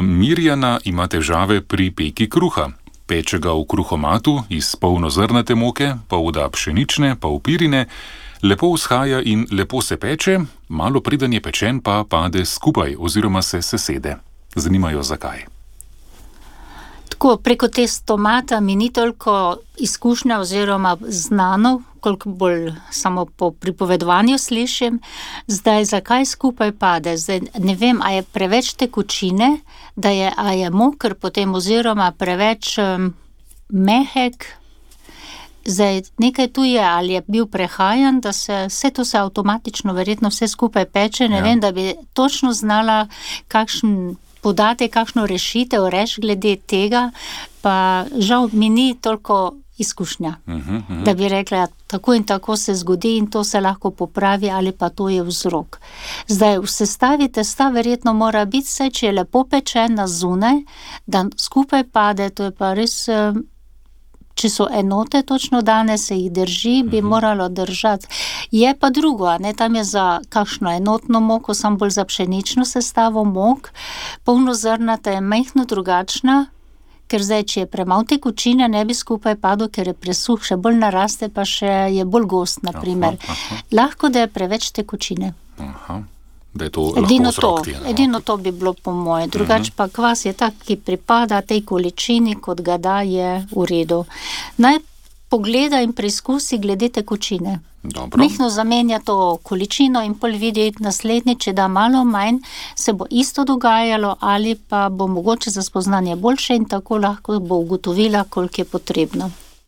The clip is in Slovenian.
Mirjana ima težave pri peki kruha. Peče ga v kruhomatu iz polnozrnate moke, pol da pšenične, pol pirine, lepo vzhaja in lepo se peče, malo preden je pečen pa pade skupaj oziroma se sesede. Zanimajo zakaj. Tako, preko testomata mi ni toliko izkušnja oziroma znano, koliko bolj samo po pripovedovanju slišim. Zdaj, zakaj skupaj pade? Zdaj, ne vem, a je preveč tekočine, a je moker potem oziroma preveč mehek. Zdaj, nekaj tu je, ali je bil prehajan, da vse to se avtomatično verjetno vse skupaj peče. Ne vem, da bi točno znala podate kakšno rešitev, glede tega, pa žal mi ni toliko izkušnja, da bi rekla, tako in tako se zgodi in to se lahko popravi ali pa to je vzrok. Zdaj, v sestavi testa verjetno mora biti vse, če je lepo pečena zunaj, da skupaj pade, to je pa res, če so enote točno dane, se jih drži, bi moralo držati. Je pa drugo, tam je za kakšno enotno moko, samo bolj za pšenično sestavo mok, polnozrnata je majhno drugačna, ker zdaj, če je premalo tekočine, ne bi skupaj padel, ker je presuh, še bolj naraste, pa še je bolj gost, na primer. Lahko, da je preveč tekočine. Da je to lahko vzrok. Edino to bi bilo po moje. Drugače pa kvas je tak, ki pripada tej količini, kot ga da, je v redu. Naj pogleda in preizkusi glede tekočine. Mehno zamenja to količino in pol vidi naslednji, če da malo manj, se bo isto dogajalo ali pa bo mogoče za spoznanje boljše in tako lahko bo ugotovila, koliko je potrebno.